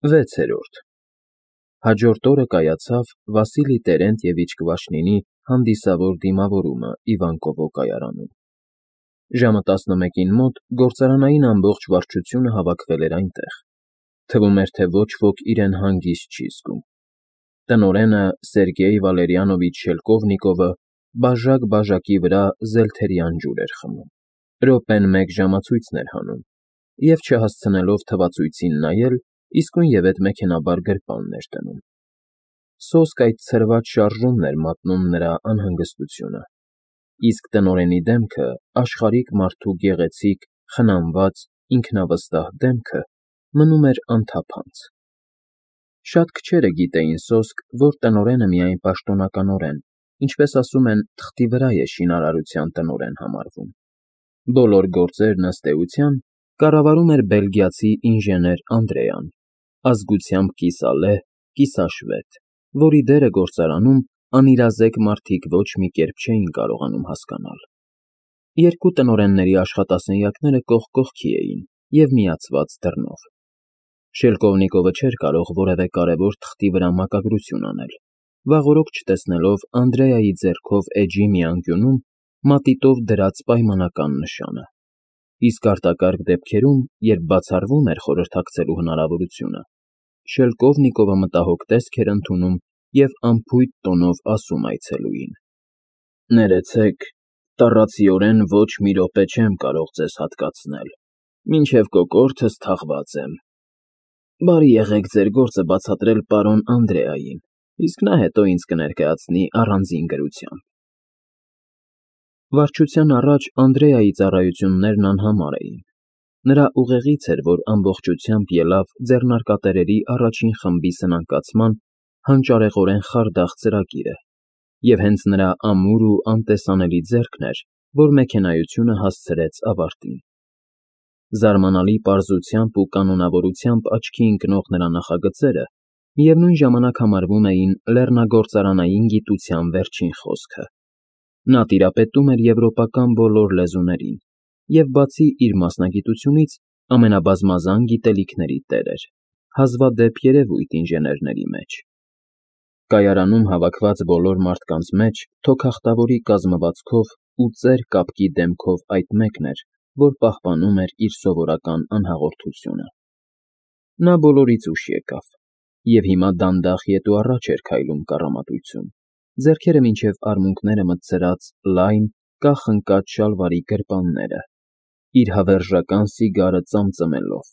6-րդ Հաջորդ օրը կայացավ Վասիլի Տերենտևիչ Կվաշնինի հանդիսավոր դիմավորումը Իվանկովո կայարանում։ Ժամը 11-ին մոտ գործարանային ամբողջ վարչությունը հավաքվել էր այնտեղ։ Թվում էր, թե ոչ ոք իրեն հանգիստ չի զգում։ Տնօրենը Սերգեյ Վալերիանովիչ Շելկովնիկովը բաժակ֊բաժակի վրա զելթերյան ջուր էր խմում, րոպեն մեկ ժամացույցն էր հանում և, չհասցնելով թվացույցին նայել, իսկույնևեթ մեքենայաբար գրպանն էր դնում։ Սոսկ այդ ցրված շարժումն էր մատնում նրա անհանգստությունը, իսկ տնօրենի դեմքը, աշխարհիկ մարդու գեղեցիկ, խնամված, ինքնավստահ դեմքը մնում էր անթափանց։ Շատ քչերը գիտեին սոսկ, որ տնօրենը միայն պաշտոնականորեն, ինչպես ասում են, թղթի վրա է շինարարության տնօրեն համարվում։ Բոլոր գործերն, ըստ էության, կառավարում էր բելգիացի ինժեներ Անդրեան, ազգությամբ կիսալեհ, կիսաշվեդ, որի դերը գործարանում անիրազեկ մարդիկ ոչ մի կերպ չէին կարողանում հասկանալ։ Երկու տնօրենների աշխատասենյակները կողք կողքի էին և միացված դռնով։ Շելկովնիկովը չէր կարող որևէ կարևոր թղթի վրա մակագրություն անել, վաղօրոք չտեսնելով Անդրեայի ձեռքով էջի մի անկյունում մատիտով դրած պայմանական նշանը, իսկ արտակարգ դեպքերում, երբ բացառվում էր խորհրդակցելու հնարավորությունը, Շելկովնիկովը մտահոգ տեսք էր ընդունում և անփույթ տոնով ասում այցելուին. «Ներեցեք, տառացիորեն ոչ մի րոպե չեմ կարող ձեզ հատկացնել, մինչև կոկորդս թաղված եմ։ Բարի եղեք ձեր գործը բացատրել պարոն Անդրեային, իսկ նա հետո ինձ կներկայացնի առանձին գրությամբ»։ Վարչության առաջ Անդրեայի ծառայություններն անհամար էին։ Նրա ուղեղից էր, որ ամբողջությամբ ելավ ձեռնարկատերերի առաջին խմբի սնանկացման հանճարեղորեն խարդախ ծրագիրը, և հենց նրա ամուր ու անտեսանելի ձեռքն էր, որ մեքենայությունը հասցրեց ավարտին։ Զարմանալի պարզությամբ ու կանոնավորությամբ աչքի ընկնող նրա նախագծերը միևնույն ժամանակ համարվում էին լեռնագործարանային գիտության վերջին խոսքը։ Նա տիրապետում էր եվրոպական բոլոր լեզուներին և, բացի իր մասնագիտությունից, ամենաբազմազան գիտելիքների տեր էր, հազվադեպ երևույթ ինժեներների մեջ։ Կայարանում հավաքված բոլոր մարդկանց մեջ թոքախտավորի կազմվածքով ու ծեր կապկի դեմքով այդ մեկն էր, որ պահպանում էր իր սովորական անհաղորդությունը։ Նա բոլորից ուշ եկավ և հիմա դանդաղ ետ ու առաջ էր քայլում կառամատույցում, ձեռքերը մինչև արմունկները մտցրած լայն, կախ ընկած շալվարի գրպանները, իր հավերժական սիգարը ծամծմելով։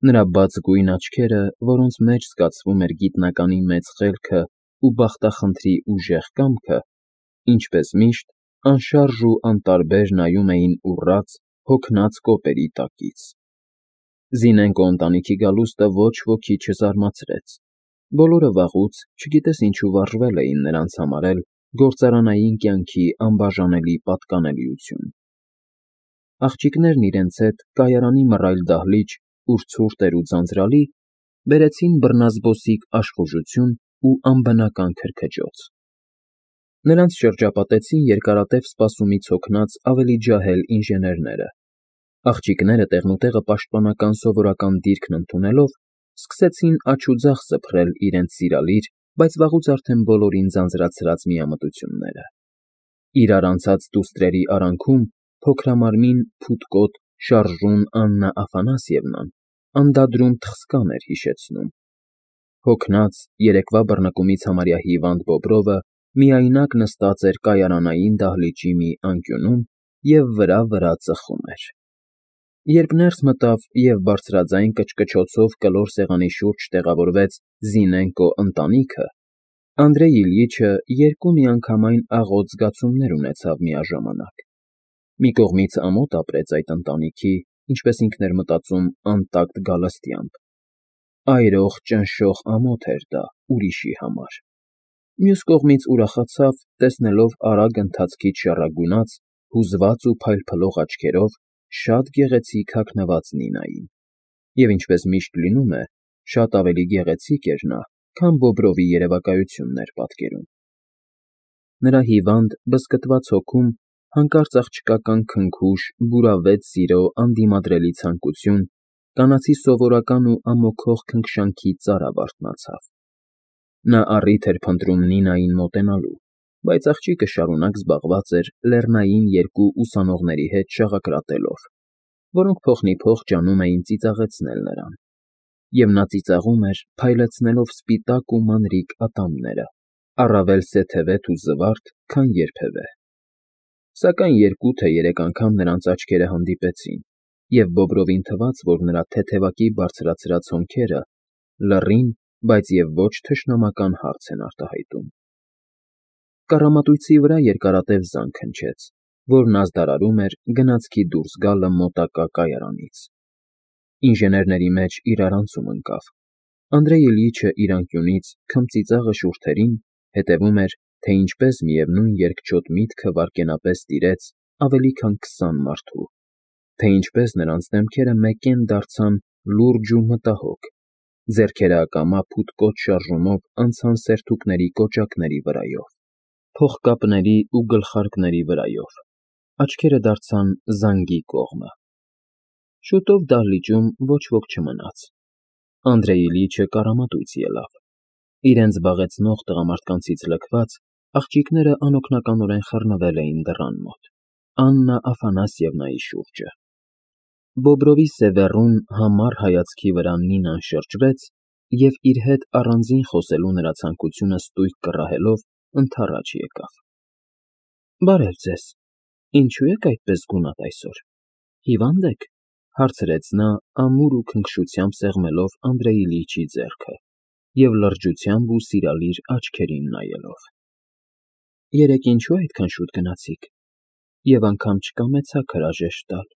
Նրա բաց գույն աչքերը, որոնց մեջ զգացվում էր գիտնականի մեծ խելքը ու բախտախնդրի ուժեղ կամքը, ինչպես միշտ, անշարժ ու անտարբեր նայում էին ուռած, հոգնած կոպերի տակից։ Զինենկո ընտանիքի գալուստը ոչ ոքի չզարմացրեց։ Բոլորը վաղուց, չգիտես ինչու, վարժվել էին նրանց համարել գործարանային կյանքի անբաժանելի պատկանելիություն։ Աղջիկներն իրենց հետ կայարանի մռայլ դահլիճ, ուր ցուրտ էր ու ձանձրալի, բերեցին բռնազբոսիկ աշխուժություն ու անբնական քրքջոց։ Նրանց շրջապատեցին երկարատև սպասումից հոգնած ավելի ջահել ինժեներները։ Աղջիկները տեղնուտեղը պաշտպանական սովորական դիրքն ընդունելով, սկսեցին աջ ու ձախ սփռել իրենց սիրալիր, բայց վաղուց արդեն բոլորին ձանձրացրած միամտությունները։ Իրար անցած դուստրերի արանքում փոքրամարմին, փութկոտ, շարժուն Աննա Աֆանասьևնան անդադրում թխսկան էր հիշեցնում։ Հոգնած, երեկվա բռնկումից համարյա հիվանդ Բոբրովը միայնակ նստած էր կայարանային դահլիճի մի անկյունում և վրա ծխում էր։ Երբ ներս մտավ և բարձրաձայն կչկչոցով կլոր սեղանի շուրջ տեղավորվեց Զինենկո ընտանիքը, Անդրեյ Իլյիչը երկու միանգամայն աղոտ զգացումներ ունեցավ միաժամանակ։ Մի կողմից ամոթ ապրեց այդ ընտանիքի, ինչպես ինքն էր մտածում, անտակտ գալստյամբ։ Այրող, ճնշող ամոթ էր դա ուրիշի համար։ Մյուս կողմից ուրախացավ, տեսնելով արագ ընթացքից շառագունած, հուզված ու փայլփլող աչքերով շատ գեղեցիկ հագնված Նինային, և ինչպես միշտ լինում է, շատ ավելի գեղեցիկ էր նա, քան Բոբրովի երևակայությունն էր պատկերում։ Նրա հիվանդ, բզկտված հոգում հանկարծ աղջկական քնքուշ, բուրավետ սիրո անդիմադրելի ցանկություն, կանացի սովորական ու ամոքող քնքշանքի ծարավ արթնացավ։ Նա առիթ էր փնտրում Նինային մոտենալու, բայց աղջիկը շարունակ զբաղված էր լեռնային երկու ուսանողների հետ շաղակրատելով, որոնք փոխնիփոխ ջանում էին ծիծաղեցնել նրան, և նա ծիծաղում էր, փայլեցնելով սպիտակ ու մանրիկ ատամները, առավել սեթևետ ու զվարթ, քան երբևէ։ Սակայն երկու թե երեք անգամ նրանց աչքերը հանդիպեցին, և Բոբրովին թվաց, որ նրա թեթևակի բարձրացրած հոնքերը լռին, բայց և ոչ թշնամական հարց են արտահայտում։ Կառամատույցի վրա երկարատև զանգ հնչեց, որն ազդարարում էր գնացքի դուրս գալը մոտակա կայարանից։ Ինժեներների մեջ իրարանցում ընկավ։ Անդրեյ Իլյիչը իր անկյունից քմծիծաղը շուրթերին հետևում էր, թե ինչպես միևնույն երկչոտ միտքը վայրկենապես տիրեց ավելի քան 20 մարդու, թե ինչպես նրանց դեմքերը մեկեն դարձան լուրջ ու մտահոգ, ձեռքերը ակամա փութկոտ շարժումով անցան սերթուկների կոճակների վրայով, փողկապների ու գլխարկների վրայով, աչքերը դարձան զանգի կողմը։ Շուտով դահլիճում ոչ ոք չմնաց։ Անդրեյ Իլյիչը կառամատույց ելավ։ Իրենց զբաղեցնող տղամարդկանցից լքված, աղջիկները անօգնականորեն խռնվել էին դռան մոտ, Աննա Աֆանասьևնայի շուրջը։ Բոբրովի սևեռուն, համառ հայացքի վրա Նինան շրջվեց և իր հետ առանձին խոսելու նրա ցանկությունը ստույգ կռահելով ընդառաջ եկավ։ ֊ Բարև ձեզ, ինչո՞ւ եք այդպես գունատ այսօր, հիվա՞նդ եք, ֊ հարցրեց նա ամուր ու քնքշությամբ սեղմելով Անդրեյ Իլյիչի ձեռքը և լրջությամբ ու սիրալիր աչքերին նայելով։ ֊ Երեկ ինչո՞ւ այդքան շուտ գնացիք, և անգամ չկամեցաք հրաժեշտ տալ,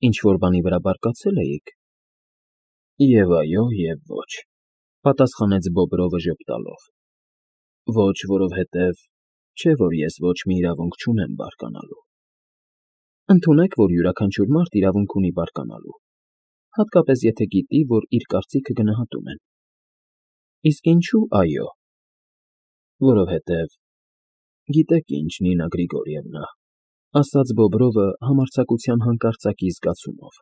ինչ֊որ բանի վրա բարկացե՞լ էիք։ ֊ Եվ այո, և ոչ, ֊ պատասխանեց Բոբրովը ժպտալով։ Ոչ, որովհետև չէ, որ ես ոչ մի իրավունք չունեմ բարկանալու։ Ընդունեք, որ յուրաքանչյուր մարդ իրավունք ունի բարկանալու, հատկապես եթե գիտի, որ իր կարծիքը գնահատում են։ Իսկ ինչո՞ւ այո։ Որովհետև, գիտեք ինչ, Նինա Գրիգորիևնա, ֊ ասաց Բոբրովը համարձակության հանկարծակի զգացումով,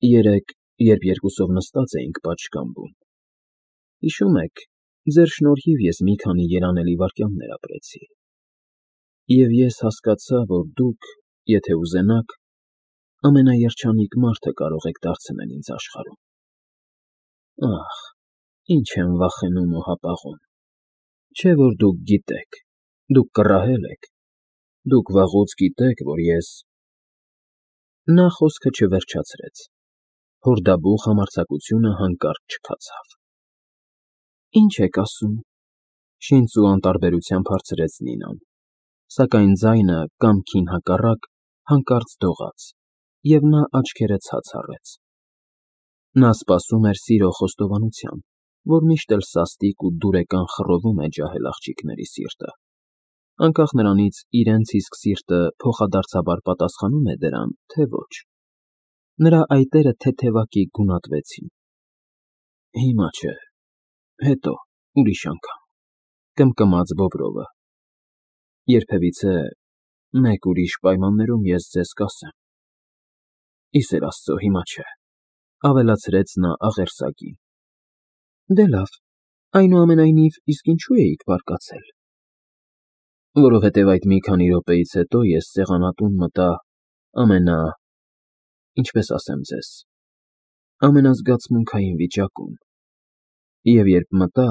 երեկ, երբ երկուսով նստած էինք պատշգամբում, հիշում եք, ձեր շնորհիվ ես մի քանի երանելի վայրկյաններ ապրեցի, և ես հասկացա, որ դուք, եթե ուզենաք, ամենաերջանիկ մարդը կարող եք դարձնել ինձ աշխարհում։ Ախ, ինչ եմ վախենում ու հապաղում։ Չէ՞ որ դուք գիտեք, դուք կռահել եք, դուք վաղուց գիտեք, որ ես… Նա խոսքը չվերջացրեց, հորդաբուխ համարձակությունը հանկարծ չքացավ։ Ինչ եք ասում, ֊ շինծ ու անտարբերությամբ հարցրեց Նինան, սակայն ձայնը, կամքին հակառակ, հանկարծ դողաց, և նա աչքերը ցած առեց։ Նա սպասում էր սիրո խոստովանության, որ միշտ էլ սաստիկ ու դուրեկան խռովում է ջահել աղջիկների սիրտը, անկախ նրանից իրենց իսկ սիրտը փոխադարձաբար պատասխանում է դրան, թե ոչ։ Նրա այտերը թեթևակի գունատվեցին։ Հիմա չէ, հետո, ուրիշ անգամ, ֊ կմկմաց Բոբրովը։ Երբևիցե մեկ ուրիշ պայմաններում ես ձեզ կասեմ։ Ի սեր Աստծո, հիմա չէ, ֊ ավելացրեց նա աղերսագին։ Դե լավ, այնուամենայնիվ, իսկ ինչո՞ւ էիք բարկացել։ Որովհետև այդ մի քանի րոպեից հետո ես սեղանատուն մտա ինչպես ասեմ ձեզ, ամենազգացմունքային վիճակում, և երբ մտա…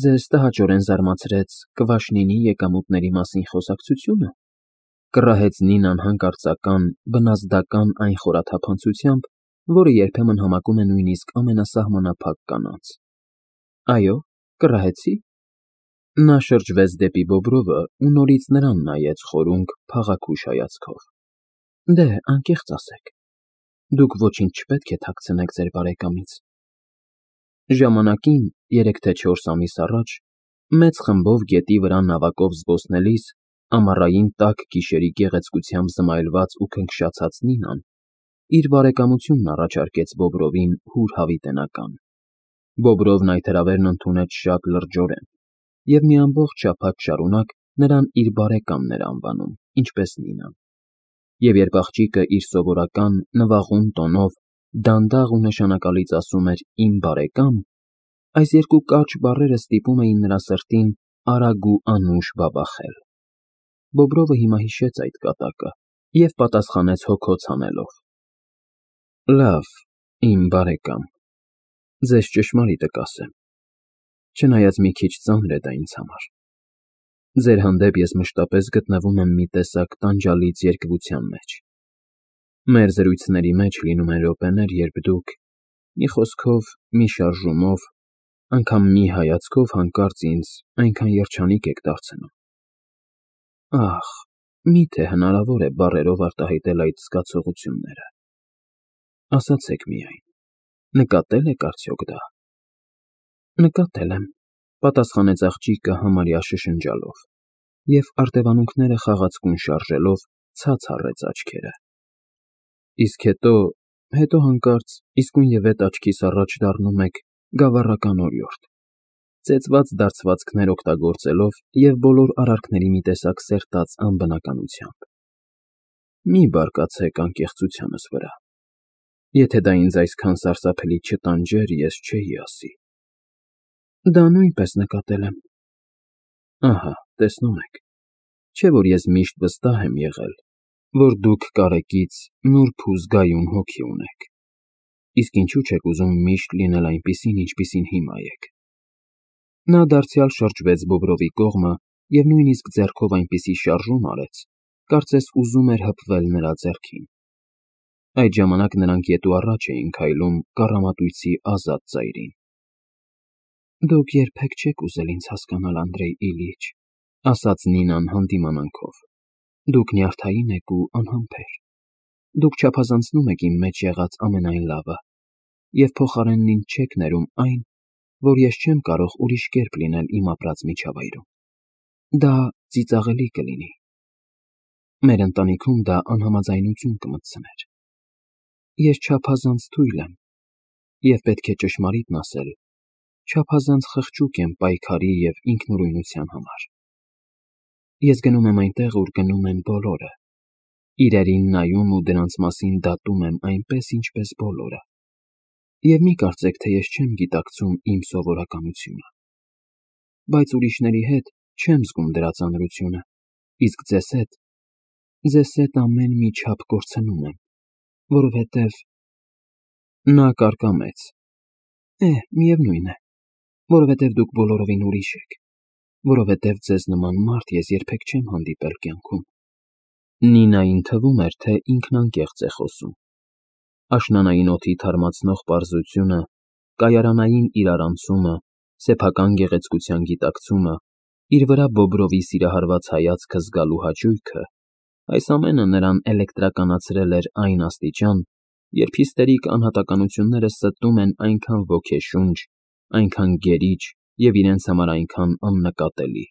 Ձեզ տհաճորեն զարմացրեց Կվաշնինի եկամուտների մասին խոսակցությո՞ւնը, ֊ կռահեց Նինան հանկարծական, բնազդական այն խորաթափանցությամբ, որը երբեմն համակում է նույնիսկ ամենասահմանափակ կանանց։ Այո, կռահեցի։ Նա շրջվեց դեպի Բոբրովը ու նորից նրան նայեց խորունգ, փաղաքուշ հայացքով։ Դե, անկեղծ ասեք, դուք ոչինչ չպետք է թաքցնեք ձեր բարեկամից։ Ժամանակին, 3 թե 4 ամիս առաջ, մեծ խմբով գետի վրա նավակով զբոսնելիս, ամառային տաք գիշերի գեղեցկությամբ զմայլված ու քնքշացած Նինան իր բարեկամությունն առաջարկեց Բոբրովին հուր հավիտենական։ Բոբրովն այդ հրավերն ընդունեց շատ լրջորեն և մի ամբողջ շաբաթ շարունակ նրան իր բարեկամն էր անվանում, ինչպես Նինան։ Եվ երբ աղջիկը իր սովորական նվաղուն տոնով դանդաղ ու նշանակալից ասում էր «իմ բարեկամ», այս երկու կարճ բառերը ստիպում էին նրա սրտին արագ ու անուշ բաբախել։ Բոբրովը հիմա հիշեց այդ կատակը և պատասխանեց հոգոց հանելով. «Լավ, իմ բարեկամ, ձեզ ճշմարիտը կասեմ, չնայած մի քիչ ծանր է դա ինձ համար։ Ձեր հանդեպ ես մշտապես գտնվում եմ մի տեսակ տանջալից երկվության մեջ։ Մեր զրույցների մեջ լինում են րոպեներ, երբ դուք, մի խոսքով, մի շարժումով, անգամ մի հայացքով հանկարծ ինձ այնքան երջանիկ եք դարձնում։ Ահ, միթե հնարավոր է բառերով արտահայտել այդ զգացողությունները։ Ասացեք միայն, նկատե՞լ եք արդյոք դա»։ «Նկատել եմ», պատասխանեց աղջիկը համարյա շշնջալով և արտևանունքները խաղացկուն շարժելով ցած առեց աչքերը։ Իսկ հետո հանկարծ իսկույնևեթ աչքիս առաջ դառնում եք գավառական օրիորդ, ծեծված դարձվածքներ օգտագործելով և բոլոր արարքների մի տեսակ սերտած անբնականությամբ։ Մի բարկացեք անկեղծությանս վրա։ Եթե դա ինձ այսքան սարսափելի չտանջեր, ես չէի ասի։ Դա նույնպես նկատել եմ։ Ահա, տեսնում եք, չէ՞ որ ես միշտ վստահ եմ եղել, որ դուք կարեկից նուրբ ու զգայուն հոգի ունեք։ Իսկ ինչու չեք ուզում միշտ լինել այնպիսին, ինչպիսին հիմա եք։ Նա դարձյալ շրջվեց Բոբրովի կողմը և նույնիսկ ձեռքով այնպիսի շարժում արեց, կարծես ուզում էր հպվել նրա ձեռքին։ Այդ ժամանակ նրանք ետ ու առաջ էին քայլում կառամատույցի ազատ ծայրին։ Դուք երբեք չեք ուզել ինձ հասկանալ, Անդրեյ Իլյիչ, ասաց Նինան հանդիմանանքով։ Դուք նյարդային եք ու անհամբեր։ Դուք չափազանցնում եք իմ մեջ եղած ամենայն լավը և փոխարենն ինձ չեք ներում այն, որ ես չեմ կարող ուրիշ կերպ լինել իմ ապրած միջավայրում։ Դա ծիծաղելի կլինի։ Մեր ընտանիքում դա անհամաձայնություն կմտցներ։ Ես չափազանց թույլ եմ և, պետք է ճշմարիտն ասել, չափազանց խղճուկ եմ պայքարի և ինքնուրույնության համար։ Ես գնում եմ այնտեղ, ուր գնում են բոլորը, իրերին նայում ու դրանց մասին դատում եմ այնպես, ինչպես բոլորը։ Եվ մի կարծեք, թե ես չեմ գիտակցում իմ սովորականությունը։ Բայց ուրիշների հետ չեմ զգում դրա ծանրությունը, իսկ ձեզ հետ ամեն մի չափ կորցնում եմ, որովհետև… Նա կարկամեց։ Միևնույն է, որովհետև դուք բոլորովին ուրիշ եք, որովհետև ձեզ նման մարդ ես երբեք չեմ հանդիպել կյանքում։ Նինային թվում էր, թե ինքն անկեղծ է խոսում։ Աշնանային օդի թարմացնող պարզությունը, կայարանային իրարանցումը, սեփական գեղեցկության գիտակցումը, իր վրա Բոբրովի սիրահարված հայացքը զգալու հաճույքը, այս ամենը նրան էլեկտրականացրել էր այն աստիճան, երբ հիստերիկ անհատականությունները ստում են այնքան ոգեշունչ, այնքան գերիչ և իրենց համար այնքան աննկատելի։